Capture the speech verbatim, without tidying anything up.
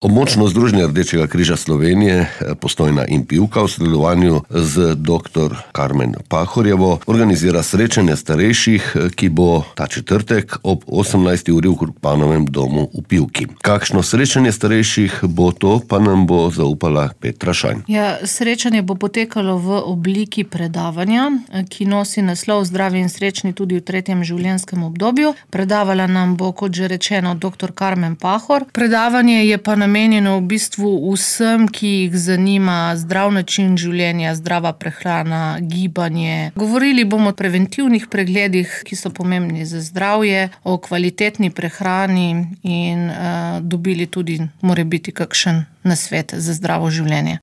Območno združenje Rdečega križa Slovenije, Postojna in Pivka v sodelovanju z doktor Karmen Pahorjevo organizira srečanje starejših, ki bo ta četrtek ob osemnajsti uri v Krukpanovem domu v Pivki. Kakšno srečanje starejših bo to, pa nam bo zaupala Petra Šajn. Ja, srečanje bo potekalo v obliki predavanja, ki nosi naslov Zdravi in srečni tudi v tretjem življenjskem obdobju. Predavala nam bo, kot že rečeno, doktor Karmen Pahor. Predavanje je pa namenjeno v bistvu vsem, ki jih zanima zdrav način življenja, zdrava prehrana, gibanje. Govorili bomo o preventivnih pregledih, ki so pomembni za zdravje, o kvalitetni prehrani in uh, dobili tudi morebiti kakšen nasvet za zdravo življenje.